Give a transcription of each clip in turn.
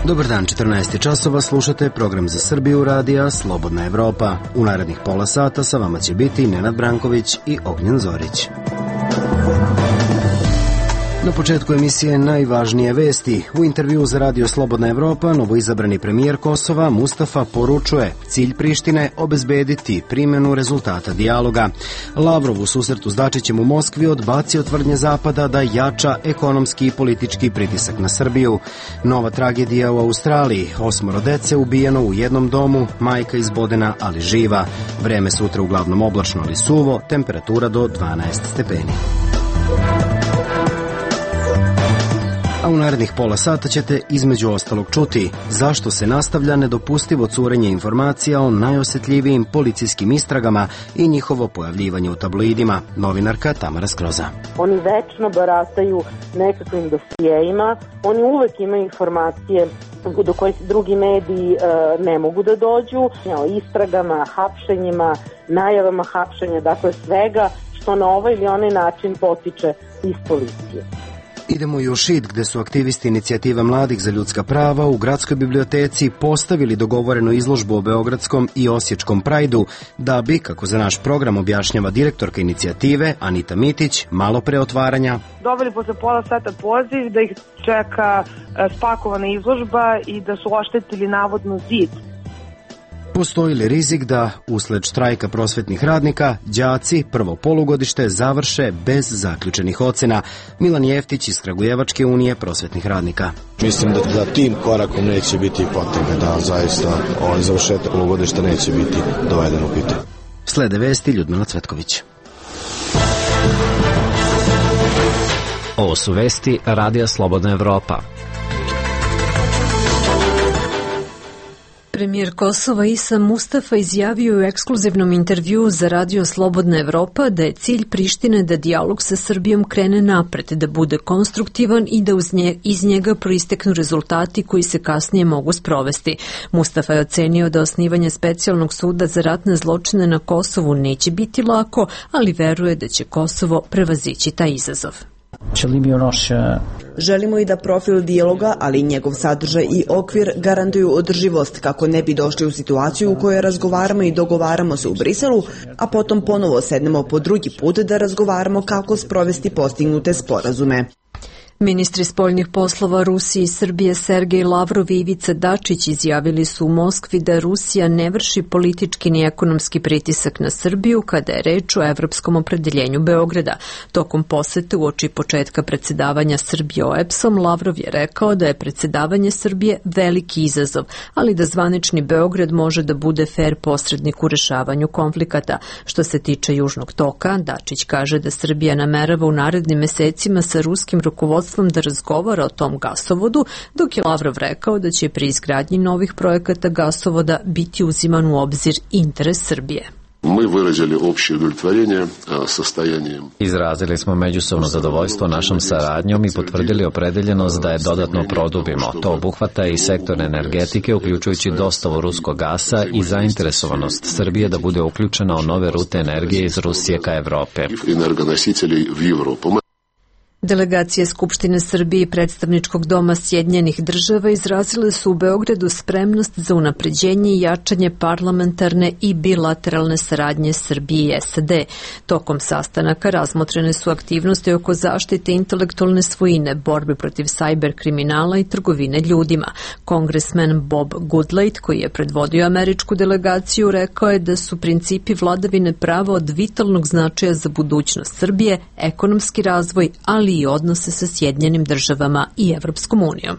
Dobar dan, 14 časova, slušate program za Srbiju radija Slobodna Evropa. U narednih pola sata sa vama će biti Nenad Branković i Ognjen Zorić. Na početku emisije najvažnije vesti. U intervjuu za radio Slobodna Evropa novoizabrani premijer Kosova Mustafa poručuje cilj Prištine obezbediti primjenu rezultata dijaloga. Lavrov u susretu s Dačićem u Moskvi odbacio tvrdnje Zapada da jača ekonomski i politički pritisak na Srbiju. Nova tragedija u Australiji. 8 dece ubijeno u jednom domu, majka izbodena ali živa. Vreme sutra uglavnom oblačno ali suvo, temperatura do 12 stepeni. A u narednih pola sata ćete između ostalog čuti zašto se nastavlja nedopustivo curenje informacija o najosjetljivijim policijskim istragama i njihovo pojavljivanje u tabloidima. Novinarka Tamara Skroza. Oni večno barataju nekakvim dosijejima, oni uvek imaju informacije do kojih drugi mediji ne mogu da dođu, o istragama, hapšenjima, najavama hapšenja, dakle svega što na ovaj ili onaj način potiče iz policije. Idemo i u Šid, gde su aktivisti inicijative mladih za ljudska prava u gradskoj biblioteci postavili dogovorenu izložbu o beogradskom i osječkom prajdu, da bi, kako za naš program objašnjava direktorka inicijative Anita Mitić, malo pre otvaranja dobili posle pola sata poziv da ih čeka spakovana izložba i da su oštetili navodno zid. Postoji li rizik da, usled štrajka prosvetnih radnika, đaci prvo polugodište završe bez zaključenih ocena? Milan Jeftić iz Kragujevačke unije prosvetnih radnika. Mislim da tim korakom neće biti potrebe, da zaista završetak polugodišta neće biti doveden u pitanje. Slede vesti Ljudmila Cvetković. Ovo su vesti Radija Slobodna Evropa. Premijer Kosova Isa Mustafa izjavio u ekskluzivnom intervjuu za radio Slobodna Evropa da je cilj Prištine da dijalog sa Srbijom krene napred, da bude konstruktivan i da iz njega proisteknu rezultati koji se kasnije mogu sprovesti. Mustafa je ocenio da osnivanje specijalnog suda za ratne zločine na Kosovu neće biti lako, ali veruje da će Kosovo prevazići taj izazov. Želimo i da profil dijaloga, ali i njegov sadržaj i okvir garantuju održivost kako ne bi došli u situaciju u kojoj razgovaramo i dogovaramo se u Briselu, a potom ponovo sednemo po drugi put da razgovaramo kako sprovesti postignute sporazume. Ministri spoljnih poslova Rusije i Srbije Sergej Lavrov i Ivica Dačić izjavili su u Moskvi da Rusija ne vrši politički ni ekonomski pritisak na Srbiju kada je reč o evropskom opredeljenju Beograda. Tokom posete uoči početka predsjedavanja Srbije OEBS-om, Lavrov je rekao da je predsjedavanje Srbije veliki izazov, ali da zvanični Beograd može da bude fer posrednik u rešavanju konflikata. Što se tiče Južnog toka, Dačić kaže da Srbija namerava u narednim mesecima sa ruskim rukovodstvom da razgovara o tom gasovodu, dok je Lavrov rekao da će pri izgradnji novih projekata gasovoda biti uziman u obzir interes Srbije. Izrazili smo međusobno zadovoljstvo našom saradnjom i potvrdili opredeljenost da je dodatno produbimo. To obuhvata i sektor energetike, uključujući dostavu ruskog gasa i zainteresovanost Srbije da bude uključena u nove rute energije iz Rusije ka Evrope. Delegacije Skupštine Srbije i Predstavničkog doma Sjedinjenih država izrazile su u Beogradu spremnost za unapređenje i jačanje parlamentarne i bilateralne saradnje Srbije i SAD. Tokom sastanaka razmotrene su aktivnosti oko zaštite intelektualne svojine, borbe protiv sajber kriminala i trgovine ljudima. Kongresmen Bob Goodlatte, koji je predvodio američku delegaciju, rekao je da su principi vladavine prava od vitalnog značaja za budućnost Srbije, ekonomski razvoj, ali i odnose sa Sjedinjenim državama i Evropskom unijom.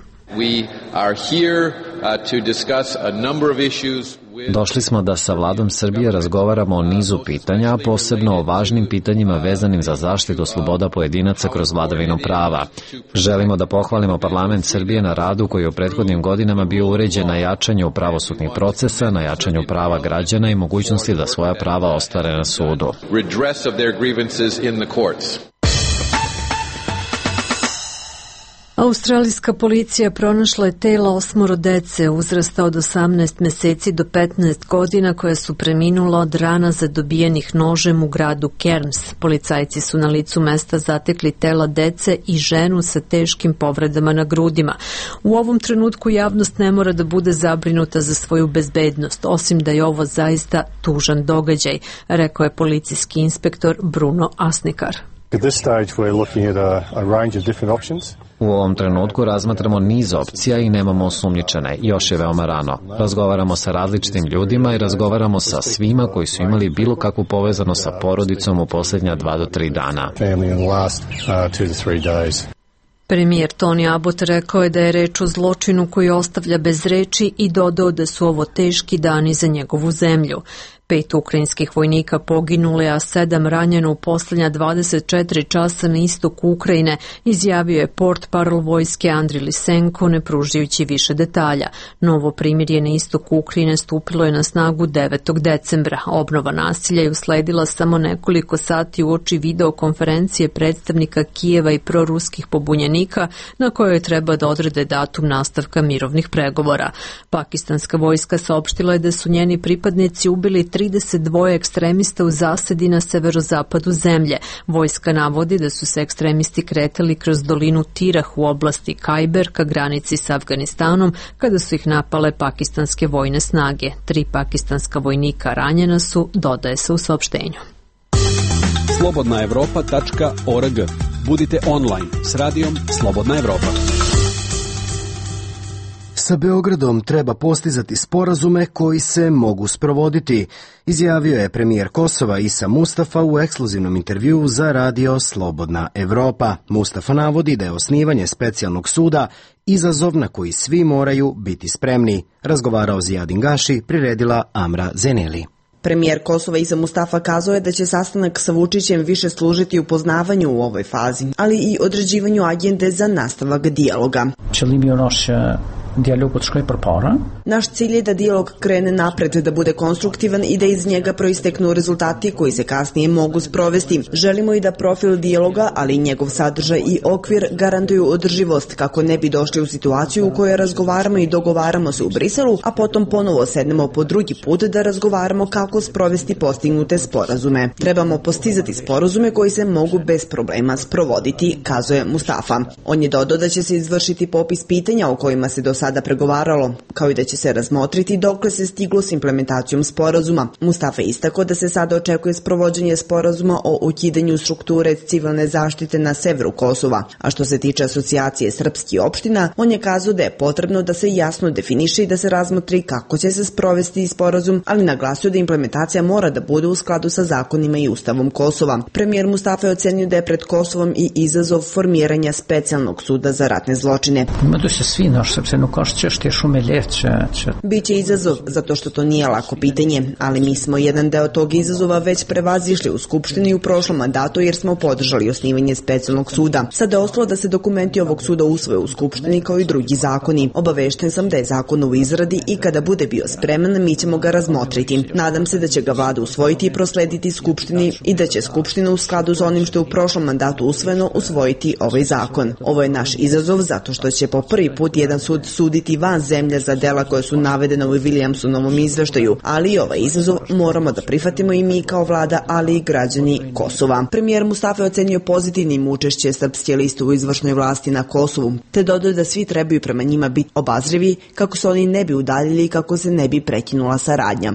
Došli smo da sa vladom Srbije razgovaramo o nizu pitanja, a posebno o važnim pitanjima vezanim za zaštitu sloboda pojedinaca kroz vladavinu prava. Želimo da pohvalimo parlament Srbije na radu koji je u prethodnim godinama bio uređen na jačanju pravosudnih procesa, na jačanju prava građana i mogućnosti da svoja prava ostvare na sudu. Australijska policija pronašla je tela 8 dece uzrasta od 18 meseci do 15 godina koja su preminula od rana zadobijenih nožem u gradu Cairns. Policajci su na licu mesta zatekli tela dece i ženu sa teškim povredama na grudima. U ovom trenutku javnost ne mora da bude zabrinuta za svoju bezbednost, osim da je ovo zaista tužan događaj, rekao je policijski inspektor Bruno Asnikar. U ovom trenutku razmatramo niz opcija i nemamo osumnjičene. Još je veoma rano. Razgovaramo sa različitim ljudima i razgovaramo sa svima koji su imali bilo kakvu povezano sa porodicom u posljednja 2 do 3 dana. Premijer Tony Abbott rekao je da je reč o zločinu koji ostavlja bez reči i dodao da su ovo teški dani za njegovu zemlju. 5 ukrajinskih vojnika poginule, a 7 ranjeno u posljednja 24 časa na istoku Ukrajine, izjavio je portparol vojske Andriy Lysenko, ne pružajući više detalja. Novo primirje na istoku Ukrajine stupilo je na snagu 9. decembra. Obnova nasilja je usledila samo nekoliko sati uoči videokonferencije predstavnika Kijeva i proruskih pobunjenika, na kojoj treba da odrede datum nastavka mirovnih pregovora. Pakistanska vojska saopštila je da su njeni pripadnici ubili 32 ekstremista u zasedi na severozapadu zemlje. Vojska navodi da su se ekstremisti kretali kroz dolinu Tirah u oblasti Kajber ka granici s Afganistanom kada su ih napale pakistanske vojne snage. 3 pakistanska vojnika ranjena su, dodaje se u saopštenju. Slobodnaevropa.org. Budite online s radijom Slobodna Evropa. Sa Beogradom treba postizati sporazume koji se mogu sprovoditi, izjavio je premijer Kosova Isa Mustafa u ekskluzivnom intervjuu za radio Slobodna Evropa. Mustafa navodi da je osnivanje specijalnog suda izazov na koji svi moraju biti spremni. Razgovarao Zijadin Gaši, priredila Amra Zeneli. Premijer Kosova Isa Mustafa kazao je da će sastanak sa Vučićem više služiti upoznavanju u ovoj fazi, ali i određivanju agende za nastavak dijaloga. Naš cilj je da dijalog krene napred, da bude konstruktivan i da iz njega proisteknu rezultati koji se kasnije mogu sprovesti. Želimo i da profil dijaloga, ali i njegov sadržaj i okvir garantuju održivost kako ne bi došli u situaciju u kojoj razgovaramo i dogovaramo se u Briselu, a potom ponovo sednemo po drugi put da razgovaramo kako sprovesti postignute sporazume. Trebamo postizati sporazume koji se mogu bez problema sprovoditi, kazuje Mustafa. On je dodao da će se izvršiti popis pitanja o kojima se do sada pregovaralo, kao i da će se razmotriti dokle se stiglo s implementacijom sporazuma. Mustafa je istakao da se sada očekuje sprovođenje sporazuma o ukidanju strukture civilne zaštite na severu Kosova, a što se tiče asocijacije srpskih opština, on je kazao da je potrebno da se jasno definiše i da se razmotri kako će se sprovesti sporazum, ali naglasio da implementacija mora da bude u skladu sa zakonima i ustavom Kosova. Premijer Mustafa je ocenio da je pred Kosovom i izazov formiranja specijalnog suda za ratne zločine. Biće izazov zato što to nije lako pitanje, ali mi smo jedan deo tog izazova već prevazišli u Skupštini u prošlom mandatu jer smo podržali osnivanje specijalnog suda. Sada je ostalo da se dokumenti ovog suda usvoje u Skupštini kao i drugi zakoni. Obavešten sam da je zakon u izradi i kada bude bio spreman mi ćemo ga razmotriti. Nadam se da će ga vlada usvojiti i proslediti Skupštini i da će Skupština u skladu s onim što je u prošlom mandatu usvojeno usvojiti ovaj zakon. Ovo je naš izazov zato što će po prvi put jedan sud suditi van zemlje za dela koje su navedene u Williamsonovom izveštaju, ali i ovaj izazov moramo da prihvatimo i mi kao vlada, ali i građani Kosova. Premijer Mustafa je ocenio pozitivnim učešće srpske liste u izvršnoj vlasti na Kosovu, te dodao da svi trebaju prema njima biti obazrivi kako se oni ne bi udaljili i kako se ne bi prekinula saradnja.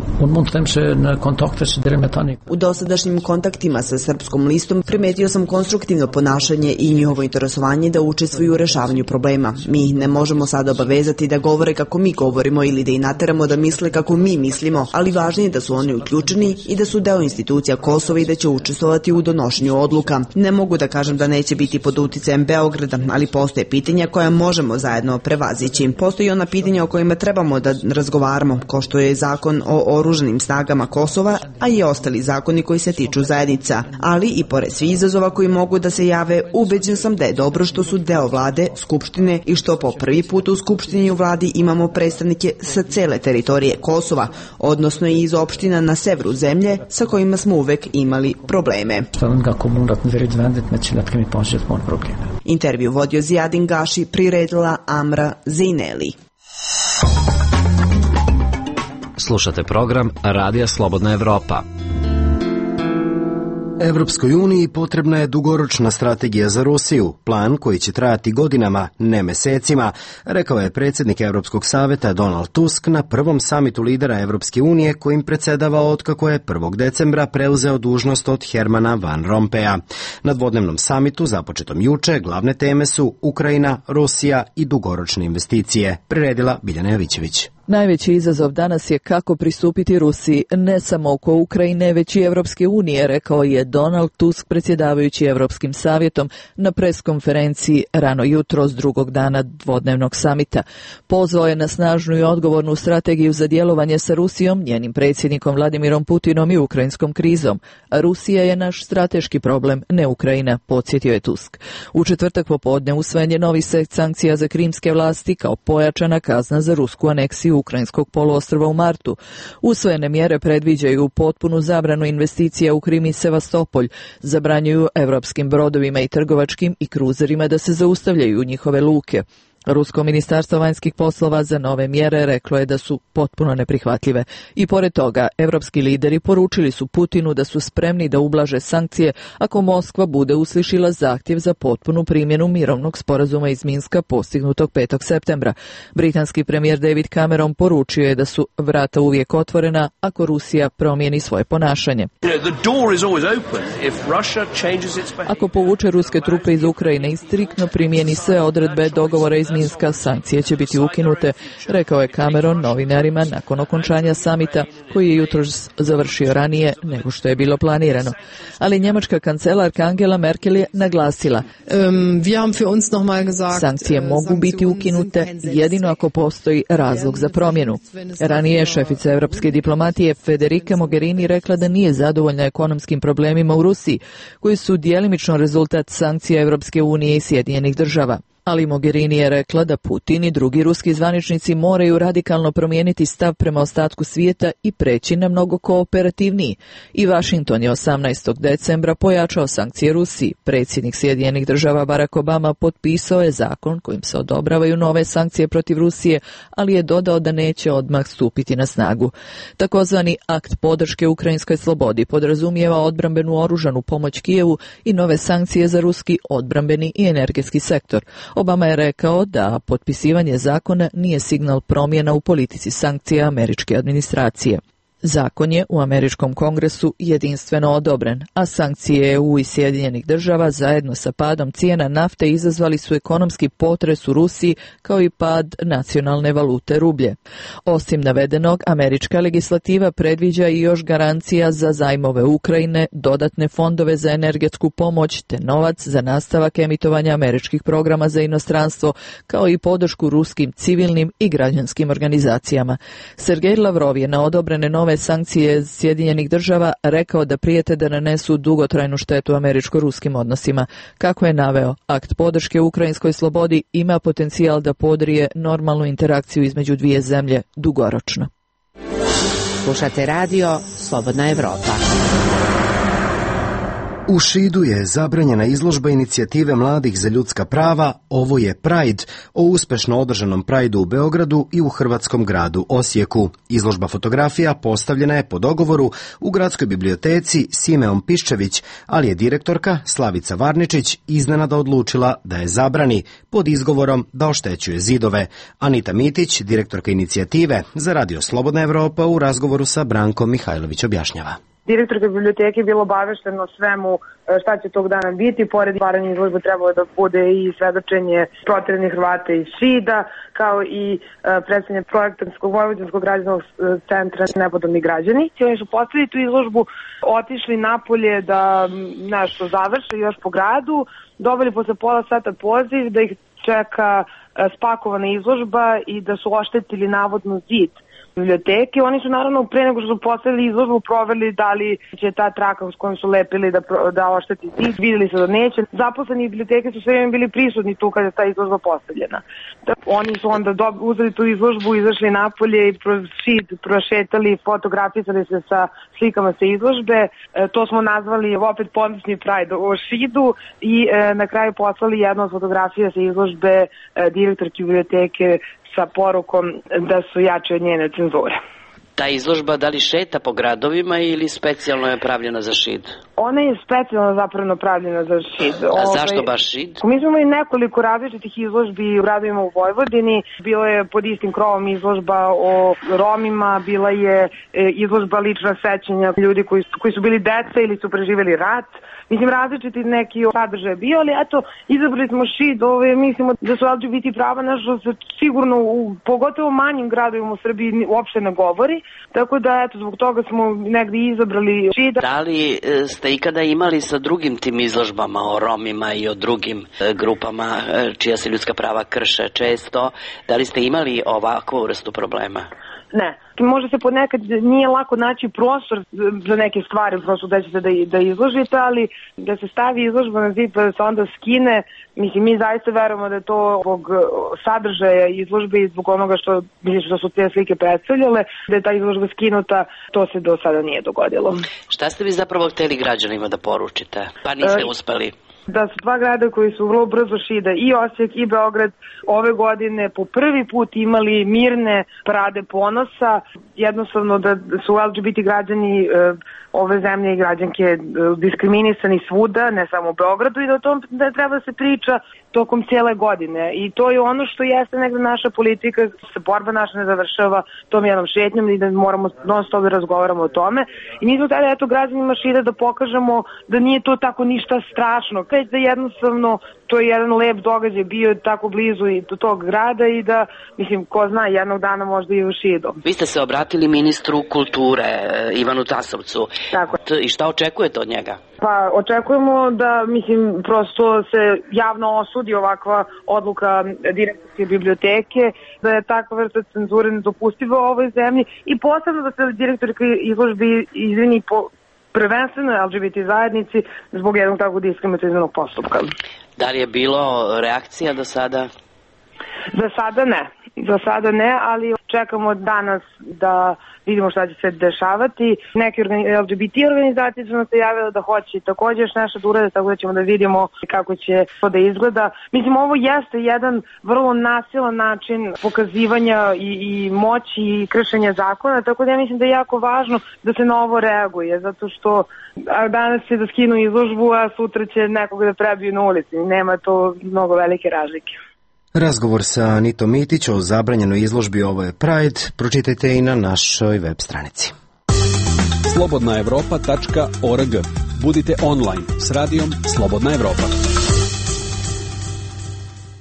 U dosadašnjim kontaktima sa srpskom listom primetio sam konstruktivno ponašanje i njihovo interesovanje da učestvuju u rešavanju problema. Mi ih ne možemo sada obavezati da govore kako mi govorimo ili da ih nateramo da misle kako mi mislimo, ali važnije je da su oni uključeni i da su deo institucija Kosova i da će učestvovati u donošenju odluka. Ne mogu da kažem da neće biti pod uticajem Beograda, ali postoje pitanja koja možemo zajedno prevazići. Postoji ona pitanja o kojima trebamo da razgovaramo, kao što je zakon o oružanim snagama Kosova, a i ostali zakoni koji se tiču zajednica. Ali i pored svih izazova koji mogu da se jave, ubeđen sam da je dobro što su deo vlade, Skupštine i što po prvi put u Skupštini Skupštini i u vladi imamo predstavnike sa cele teritorije Kosova, odnosno i iz opština na severu zemlje sa kojima smo uvek imali probleme. Intervju vodio Zijadin Gaši, priredila Amra Zeineli. Slušate program Radija Slobodna Evropa. Evropskoj uniji potrebna je dugoročna strategija za Rusiju, plan koji će trajati godinama, ne mesecima, rekao je predsjednik Evropskog saveta Donald Tusk na prvom samitu lidera Evropske unije kojim predsjedava otkako je 1. decembra preuzeo dužnost od Hermana Van Rompuya. Na dvodnevnom samitu, započetom juče, glavne teme su Ukrajina, Rusija i dugoročne investicije, priredila Biljana Jovićević. Najveći izazov danas je kako pristupiti Rusiji, ne samo oko Ukrajine, već i Evropske unije, rekao je Donald Tusk predsjedavajući Evropskim savjetom na preskonferenciji rano jutro s drugog dana dvodnevnog samita. Pozvao je na snažnu i odgovornu strategiju za djelovanje sa Rusijom, njenim predsjednikom Vladimirom Putinom i ukrajinskom krizom. Rusija je naš strateški problem, ne Ukrajina, podsjetio je Tusk. U četvrtak popodne usvojen je novi set sankcija za krimske vlasti kao pojačana kazna za rusku aneksiju ukrajinskog poluostrva u martu. Usvojene mjere predviđaju potpunu zabranu investicija u Krim i Sevastopolj, zabranjuju evropskim brodovima i trgovačkim i kruzerima da se zaustavljaju u njihove luke. Rusko ministarstvo vanjskih poslova za nove mjere reklo je da su potpuno neprihvatljive. I pored toga, evropski lideri poručili su Putinu da su spremni da ublaže sankcije ako Moskva bude uslišila zahtjev za potpunu primjenu mirovnog sporazuma iz Minska postignutog 5. septembra. Britanski premijer David Cameron poručio je da su vrata uvijek otvorena ako Rusija promijeni svoje ponašanje. Ako povuče ruske trupe iz Ukrajine i striktno primijeni sve odredbe dogovora iz Minska, sankcije će biti ukinute, rekao je Cameron novinarima nakon okončanja samita koji je jutros završio ranije nego što je bilo planirano. Ali njemačka kancelarka Angela Merkel je naglasila: sankcije mogu biti ukinute jedino ako postoji razlog za promjenu. Ranije je šefica evropske diplomatije Federica Mogherini rekla da nije zadovoljna ekonomskim problemima u Rusiji, koji su djelimično rezultat sankcija Evropske unije i Sjedinjenih država. Ali Mogherini je rekla da Putin i drugi ruski zvaničnici moraju radikalno promijeniti stav prema ostatku svijeta i preći na mnogo kooperativniji. I Washington je 18. decembra pojačao sankcije Rusiji. Predsjednik Sjedinjenih država Barack Obama potpisao je zakon kojim se odobravaju nove sankcije protiv Rusije, ali je dodao da neće odmah stupiti na snagu. Takozvani akt podrške ukrajinskoj slobodi podrazumijeva odbrambenu oružanu pomoć Kijevu i nove sankcije za ruski odbrambeni i energetski sektor. Obama je rekao da potpisivanje zakona nije signal promjena u politici sankcija američke administracije. Zakon je u američkom kongresu jedinstveno odobren, a sankcije EU i Sjedinjenih država zajedno sa padom cijena nafte izazvali su ekonomski potres u Rusiji kao i pad nacionalne valute rublje. Osim navedenog, američka legislativa predviđa i još garancija za zajmove Ukrajine, dodatne fondove za energetsku pomoć te novac za nastavak emitovanja američkih programa za inostranstvo, kao i podršku ruskim civilnim i građanskim organizacijama. Sergej Lavrov je na odobrene nove sankcije Sjedinjenih država rekao da prijete da nanesu dugotrajnu štetu američko-ruskim odnosima. Kako je naveo, akt podrške ukrajinskoj slobodi ima potencijal da podrije normalnu interakciju između dvije zemlje dugoročno. Slušate radio Slobodna Evropa. U Šidu je zabranjena izložba inicijative mladih za ljudska prava Ovo je Pride, o uspešno održanom Prideu u Beogradu i u hrvatskom gradu Osijeku. Izložba fotografija postavljena je po dogovoru u gradskoj biblioteci Simeon Piščević, ali je direktorka Slavica Varničić iznenada odlučila da je zabrani pod izgovorom da oštećuje zidove. Anita Mitić, direktorka inicijative za Radio Slobodna Evropa, u razgovoru sa Brankom Mihajlović objašnjava. Direktorka biblioteke je bilo obavešteno svemu šta će tog dana biti. Pored otvaranja izložbe trebalo da bude i svedočenje proteranih Hrvata iz Šida, kao i predstavljanje projektanskog Vojvođanskog građanskog centra Nepodobni građani. Oni su postavili tu izložbu, otišli napolje da nešto završe još po gradu, dobili posle pola sata poziv da ih čeka spakovana izložba i da su oštetili navodno zid biblioteke. Oni su naravno pre nego što su postavili izložbu proveli da li će ta traka s kojom su lepili da ošteti zid, videli se da neće. Zaposleni biblioteke su sve vreme bili prisutni tu kada je ta izložba postavljena. Oni su onda uzeli tu izložbu, izašli napolje i prošetali, fotografisali se sa slikama sa izložbe. To smo nazvali opet ponosni Pride o Šidu i na kraju poslali jednu od fotografija sa izložbe direktorki biblioteke sa porukom da su jače od njene cenzure. Ta izložba da li šeta po gradovima ili specijalno je pravljena za Šid? Ona je specijalno zapravo pravljena za Šid. A zašto baš Šid? Mi smo imali nekoliko različitih izložbi u gradovima u Vojvodini. Bilo je pod istim krovom izložba o Romima, bila je izložba lična sećanja ljudi koji su bili deca ili su preživjeli rat. Mislim, različiti neki sadržaj bio, ali eto, izabrali smo Šid, mislimo da su LGBT prava nešto se sigurno, pogotovo manjim gradovima u Srbiji, uopšte ne govori, tako da, eto, zbog toga smo negdje izabrali Šid. Da li ste ikada imali sa drugim tim izložbama o Romima i o drugim grupama čija se ljudska prava krše često, da li ste imali ovakvu vrstu problema? Ne. Možda se ponekad nije lako naći prostor za neke stvari, prosto da ćete da izložite, ali da se stavi izložba na zid pa da se onda skine, mislim, mi zaista verujemo da je to zbog sadržaja izložbe i zbog onoga što su te slike predstavljale, da je ta izložba skinuta, to se do sada nije dogodilo. Šta ste vi zapravo hteli građanima da poručite, pa niste uspeli? Da su dva grada koji su vrlo brzo Šida, i Osijek i Beograd, ove godine po prvi put imali mirne parade ponosa, jednostavno da su LGBT građani ove zemlje i građanke diskriminisani svuda, ne samo u Beogradu, i da o tom da treba da se priča tokom cijele godine. I to je ono što jeste negde naša politika, se borba naša ne završava tom jednom šetnjom i da moramo non stop da razgovaramo o tome. I mi smo tada, eto, građanima Šida da pokažemo da nije to tako ništa strašno, već da jednostavno to je jedan lep događaj, bio tako blizu i do tog grada i da, mislim, ko zna, jednog dana možda i u Šidu. Vi ste se obratili ministru kulture, Ivanu Tasovcu. Tako. I šta očekujete od njega? Pa očekujemo da, mislim, prosto se javno osudi ovakva odluka direktorske biblioteke, da je takva vrsta cenzure nedopustiva u ovoj zemlji i posebno da se direktorka izložbi izvini po prvenstveno LGBT zajednici zbog jednog takvog diskriminativnog postupka. Da li je bilo reakcija do sada? Za sada ne, ali čekamo danas da vidimo šta će se dešavati. Neke LGBT organizacije su nam se javile da hoće također još nešto da urade, tako da ćemo da vidimo kako će to da izgleda. Mislim, ovo jeste jedan vrlo nasilan način pokazivanja i moći i kršenja zakona, tako da ja mislim da je jako važno da se na ovo reaguje, zato što danas će da skinu izložbu, a sutra će nekoga da prebiju na ulici. Nema to mnogo velike razlike. Razgovor sa Anitom Mitić o zabranjenoj izložbi Ovo je Pride pročitajte i na našoj web stranici. slobodnaevropa.org. Budite online s radijom Slobodna Evropa.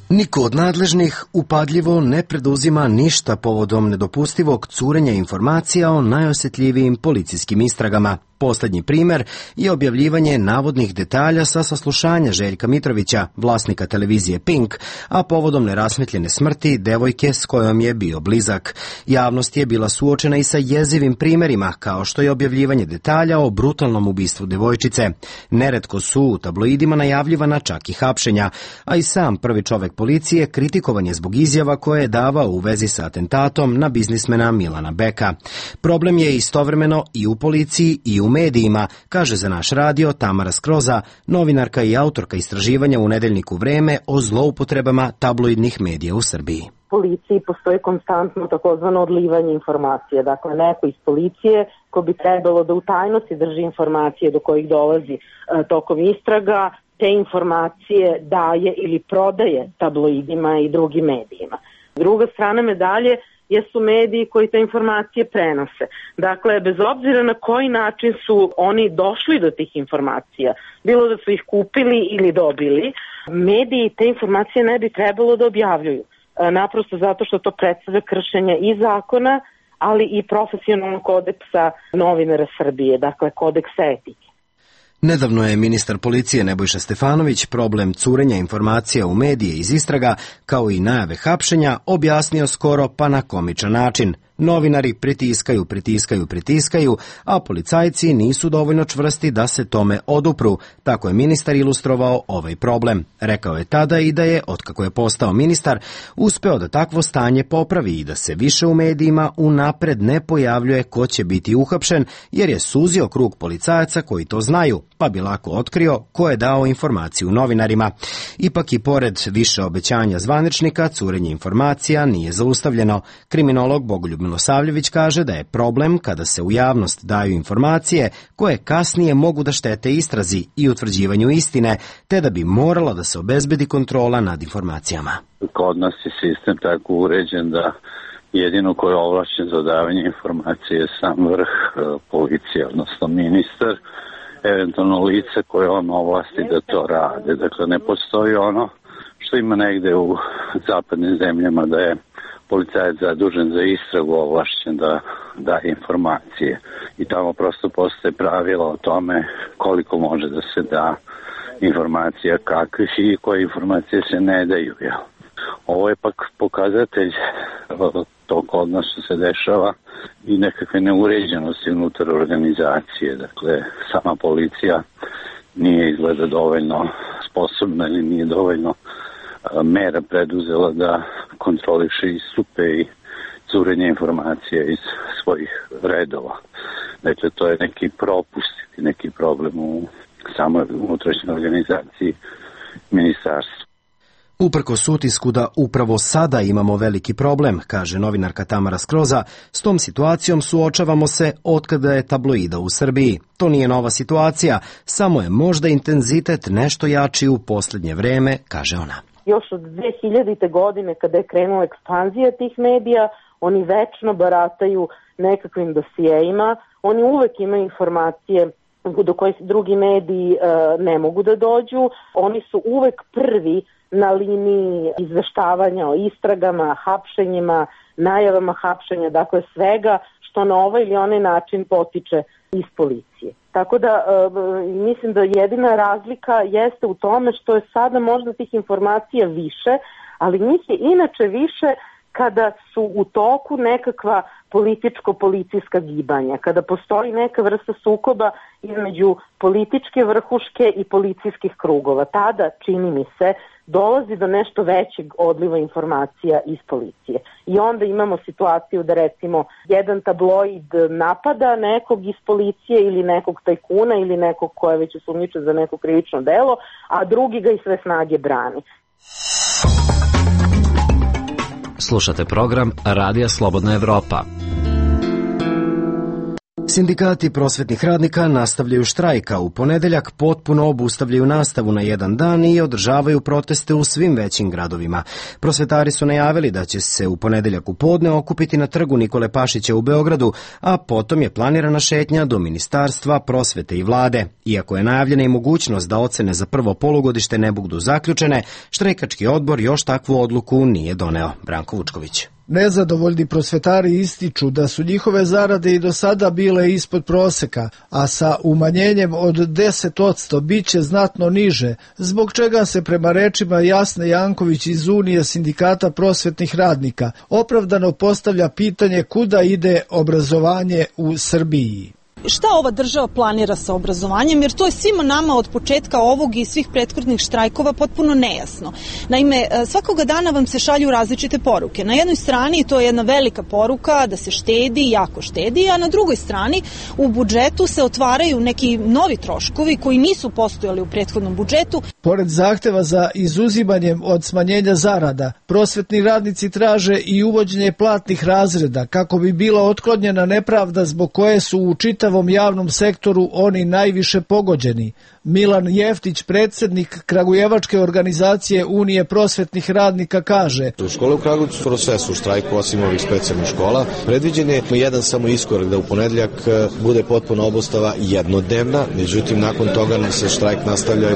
Niko od nadležnih upadljivo ne preduzima ništa povodom nedopustivog curenja informacija o najosjetljivijim policijskim istragama. Poslednji primer je objavljivanje navodnih detalja sa saslušanja Željka Mitrovića, vlasnika televizije Pink, a povodom nerasmetljene smrti devojke s kojom je bio blizak. Javnost je bila suočena i sa jezivim primerima, kao što je objavljivanje detalja o brutalnom ubistvu devojčice. Neretko su u tabloidima najavljivana čak i hapšenja, a i sam prvi čovek policije kritikovan je zbog izjava koje je davao u vezi sa atentatom na biznismena Milana Beka. Problem je istovremeno i u policiji i u medijima, kaže za naš radio Tamara Skroza, novinarka i autorka istraživanja u nedeljniku Vreme o zloupotrebama tabloidnih medija u Srbiji. U policiji postoji konstantno takozvano odlivanje informacije. Dakle, neko iz policije ko bi trebalo da u tajnosti drži informacije do kojih dolazi tokom istraga, te informacije daje ili prodaje tabloidima i drugim medijima. Druga strana medalje jesu mediji koji te informacije prenose. Dakle, bez obzira na koji način su oni došli do tih informacija, bilo da su ih kupili ili dobili, mediji te informacije ne bi trebalo da objavljuju. Naprosto zato što to predstavlja kršenje i zakona, ali i profesionalnog kodeksa novinara Srbije, dakle kodeksa etike. Nedavno je ministar policije Nebojša Stefanović problem curenja informacija u medije iz istraga, kao i najave hapšenja, objasnio skoro pa na komičan način. Novinari pritiskaju, a policajci nisu dovoljno čvrsti da se tome odupru. Tako je ministar ilustrovao ovaj problem. Rekao je tada i da je, otkako je postao ministar, uspeo da takvo stanje popravi i da se više u medijima unapred ne pojavljuje ko će biti uhapšen, jer je suzio krug policajaca koji to znaju, pa bi lako otkrio ko je dao informaciju novinarima. Ipak i pored više obećanja zvaničnika, curenje informacija nije zaustavljeno. Kriminolog Bogoljub Milosavljević kaže da je problem kada se u javnost daju informacije koje kasnije mogu da štete istrazi i utvrđivanju istine, te da bi morala da se obezbedi kontrola nad informacijama. Kod nas je sistem tako uređen da jedino ko je ovlašćen za davanje informacije je sam vrh policije, odnosno ministar, eventualno lice koje on ovlasti da to rade. Dakle, ne postoji ono što ima negde u zapadnim zemljama da je policajac zadužen za istragu ovlašćen da daje informacije. I tamo prosto postoje pravila o tome koliko može da se da informacija, kakvih i koje informacije se ne daju. Ovo je pak pokazatelj to kod nas što se dešava i nekakve neuređenosti unutar organizacije. Dakle, sama policija nije izgleda dovoljno sposobna ili nije dovoljno mera preduzela da kontroliše istupe i curenje informacija iz svojih redova. Dakle, to je neki propust i neki problem u samoj unutrašnjoj organizaciji ministarstva. Uprkos utisku da upravo sada imamo veliki problem, kaže novinarka Tamara Skroza, s tom situacijom suočavamo se otkada je tabloida u Srbiji. To nije nova situacija, samo je možda intenzitet nešto jači u posljednje vreme, kaže ona. Još od 2000. godine kada je krenula ekspanzija tih medija, oni večno barataju nekakvim dosijeima, oni uvek imaju informacije do koje drugi mediji ne mogu da dođu, oni su uvek prvi na liniji izveštavanja o istragama, hapšenjima, najavama hapšenja, dakle svega što na ovaj ili onaj način potiče iz policije. Tako da mislim da jedina razlika jeste u tome što je sada možda tih informacija više, ali njih je inače više kada su u toku nekakva političko-policijska gibanja, kada postoji neka vrsta sukoba između političke vrhuške i policijskih krugova. Tada, čini mi se, dolazi do nešto većeg odliva informacija iz policije. I onda imamo situaciju da recimo jedan tabloid napada nekog iz policije ili nekog tajkuna ili nekog ko je već osumnjičen za neko krivično delo, a drugi ga i sve snage brani. Slušate program Radija Slobodna Evropa. Sindikati prosvetnih radnika nastavljaju štrajka. U ponedeljak potpuno obustavljaju nastavu na jedan dan i održavaju proteste u svim većim gradovima. Prosvetari su najavili da će se u ponedeljak u podne okupiti na trgu Nikole Pašića u Beogradu, a potom je planirana šetnja do Ministarstva prosvete i vlade. Iako je najavljena i mogućnost da ocene za prvo polugodište ne budu zaključene, štrajkački odbor još takvu odluku nije doneo. Branko Vučković. Nezadovoljni prosvetari ističu da su njihove zarade i do sada bile ispod proseka, a sa umanjenjem od 10% biće znatno niže, zbog čega se prema rečima Jasne Janković iz Unije sindikata prosvetnih radnika opravdano postavlja pitanje kuda ide obrazovanje u Srbiji. Šta ova država planira sa obrazovanjem, jer to je svima nama od početka ovog i svih prethodnih štrajkova potpuno nejasno. Naime, svakoga dana vam se šalju različite poruke. Na jednoj strani to je jedna velika poruka da se štedi, jako štedi, a na drugoj strani u budžetu se otvaraju neki novi troškovi koji nisu postojali u prethodnom budžetu. Pored zahteva za izuzimanjem od smanjenja zarada, prosvetni radnici traže i uvođenje platnih razreda kako bi bila otklonjena nepravda zbog koje su u čitavom javnom sektoru oni najviše pogođeni. Milan Jeftić, predsjednik Kragujevačke organizacije Unije prosvetnih radnika, kaže: U škole u Kragujevcu sve su u štrajku, osim ovih specijalnih škola. Predviđen je jedan samo iskorak da u ponedeljak bude potpuna obustava jednodnevna, međutim nakon toga se štrajk nastavlja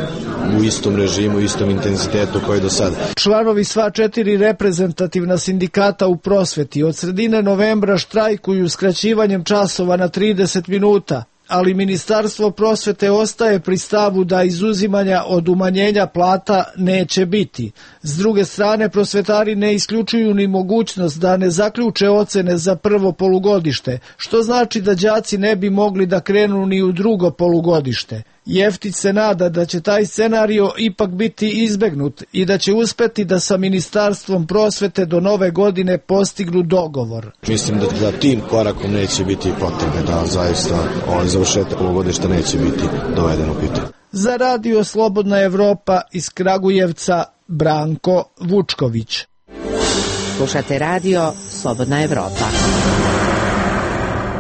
u istom režimu, istom intenzitetu koji do sada. Članovi sva 4 reprezentativna sindikata u prosveti od sredine novembra štrajkuju skraćivanjem časova na 30 minuta. ali Ministarstvo prosvete ostaje pri stavu da izuzimanja od umanjenja plata neće biti. S druge strane, prosvetari ne isključuju ni mogućnost da ne zaključe ocene za prvo polugodište, što znači da đaci ne bi mogli da krenu ni u drugo polugodište. Jeftić se nada da će taj scenario ipak biti izbegnut i da će uspeti da sa Ministarstvom prosvete do nove godine postignu dogovor. Mislim da tim korakom neće biti potrebe, da zaista završetak polugodišta neće biti doveden u pitanje. Za Radio Slobodna Evropa iz Kragujevca, Branko Vučković. Slušate Radio Slobodna Evropa.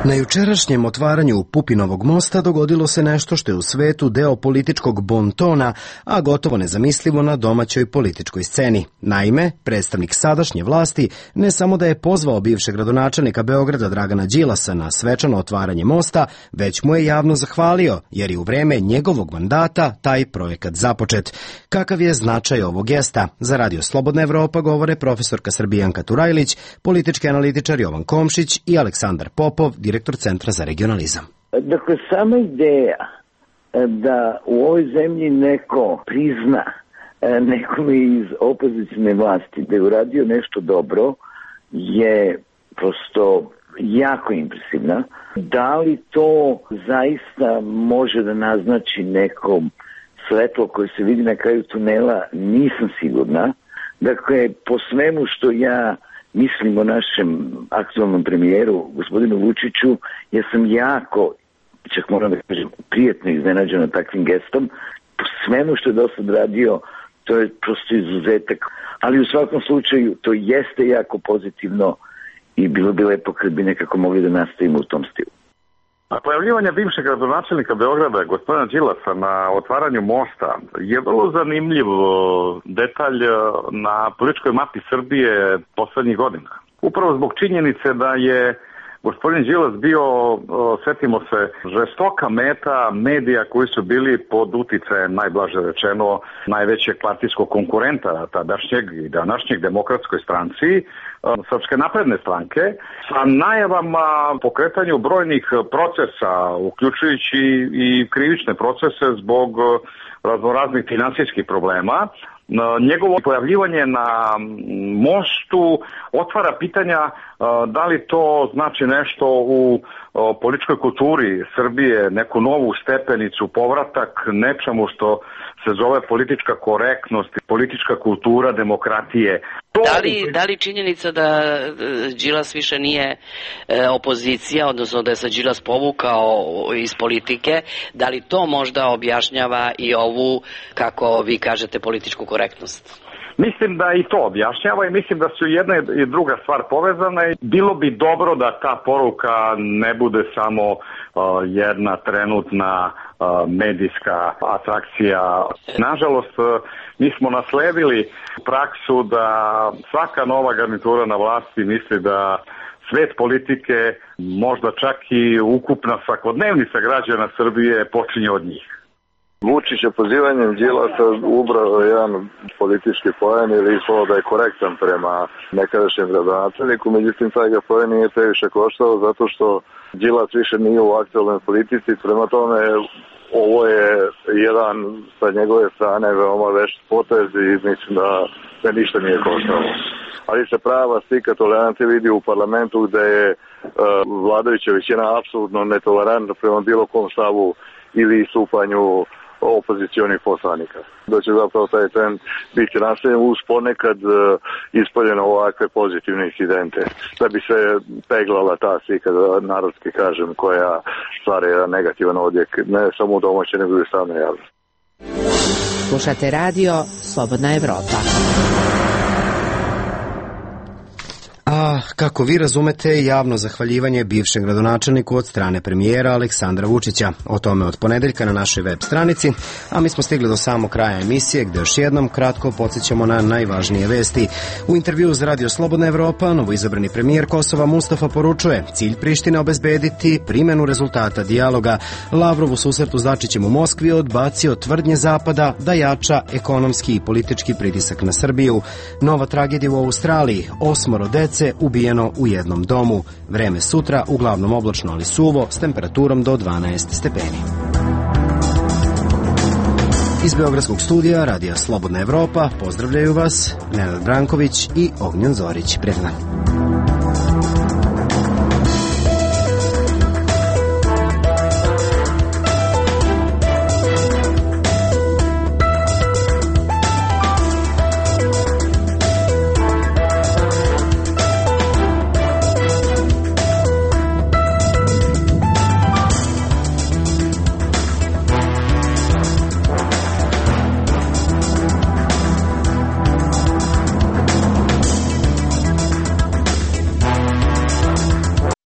Na jučerašnjem otvaranju Pupinovog mosta dogodilo se nešto što je u svetu deo političkog bontona, a gotovo nezamislivo na domaćoj političkoj sceni. Naime, predstavnik sadašnje vlasti ne samo da je pozvao bivšeg gradonačelnika Beograda Dragana Đilasa na svečano otvaranje mosta, već mu je javno zahvalio, jer je u vreme njegovog mandata taj projekat započet. Kakav je značaj ovog gesta? Za Radio Slobodna Evropa govore profesorka Srbijanka Turajlić, politički analitičar Jovan Komšić i Aleksandar Popov, direktor Centra za regionalizam. Dakle, sama ideja da u ovoj zemlji neko prizna nekome iz opozicijne vlasti da je uradio nešto dobro je prosto jako impresivna. Da li to zaista može da naznači nekom svetlo koje se vidi na kraju tunela, nisam sigurna. Dakle, po svemu što ja mislim o našem aktualnom premijeru, gospodinu Vučiću, ja sam jako, čak moram da kažem, prijetno iznenađen takvim gestom. Po svemu što je do sad radio, to je prosto izuzetak. Ali u svakom slučaju, to jeste jako pozitivno i bilo bi lepo kad bi nekako mogli da nastavimo u tom stilu. A pojavljivanje bivšeg gradonačelnika Beograda, gospodina Đilasa, na otvaranju mosta je vrlo zanimljiv detalj na političkoj mapi Srbije poslednjih godina. Upravo zbog činjenice da je gospodin Đilas bio, setimo se, žestoka meta medija koji su bili pod uticajem, najblaže rečeno, najvećeg partijskog konkurenta tadašnjeg i današnjeg Demokratskoj stranci, Srpske napredne stranke, sa najavama pokretanju brojnih procesa, uključujući i krivične procese zbog raznoraznih finansijskih problema. Njegovo pojavljivanje na mostu otvara pitanja da li to znači nešto u političkoj kulturi Srbije, neku novu stepenicu, povratak nečemu što se zove politička korektnost, politička kultura demokratije. Da li činjenica da Đilas više nije opozicija, odnosno da je se Đilas povukao iz politike, da li to možda objašnjava i ovu, kako vi kažete, političku korektnost? Mislim da i to objašnjava i mislim da su jedna i druga stvar povezane. Bilo bi dobro da ta poruka ne bude samo jedna trenutna medijska atrakcija. Nažalost, mi smo nasledili praksu da svaka nova garnitura na vlasti misli da svet politike, možda čak i ukupna svakodnevnica građana Srbije počinje od njih. Vučića pozivanjem Đilasa ubrao jedan politički poen ili ispalo da je korektan prema nekadašnjem gradonačelniku, međutim taj ga poen nije previše koštao zato što Đilas više nije u aktualnoj politici, prema tome ovo je jedan sa njegove strane veoma vešt potez i mislim da ništa nije koštalo. Ali se prava slika tolerancije vidi u parlamentu gde je vladajuća većina apsolutno netolerantna prema bilo kom stavu ili istupanju opozicionih poslanika. Da će zapravo taj trend biti nastavljen uz ponekad ispoljeno ovakve pozitivne incidente, da bi se peglala ta slika, da narodski kažem, koja stvara jedan negativan odjek, ne samo u domaće, nego i strane javnosti. Slušate Radio Slobodna Evropa. A kako vi razumete javno zahvaljivanje bivšem gradonačelniku od strane premijera Aleksandra Vučića? O tome od ponedeljka na našoj web stranici, a mi smo stigli do samog kraja emisije gde još jednom kratko podsjećamo na najvažnije vesti. U intervju za Radio Slobodna Evropa novoizabrani premijer Kosova Mustafa poručuje cilj Prištine obezbediti primenu rezultata dijaloga. Lavrov u susretu s Dačićem u Moskvi odbacio tvrdnje Zapada da jača ekonomski i politički pritisak na Srbiju. Nova tragedija u Australiji, 8 dece ubijeno ubijeno u jednom domu. Vreme sutra uglavnom oblačno ali suvo s temperaturom do 12 stepeni. Iz Beogradskog studija Radija Slobodna Evropa pozdravljaju vas Nenad Branković i Ognjen Zorić. Prijatno.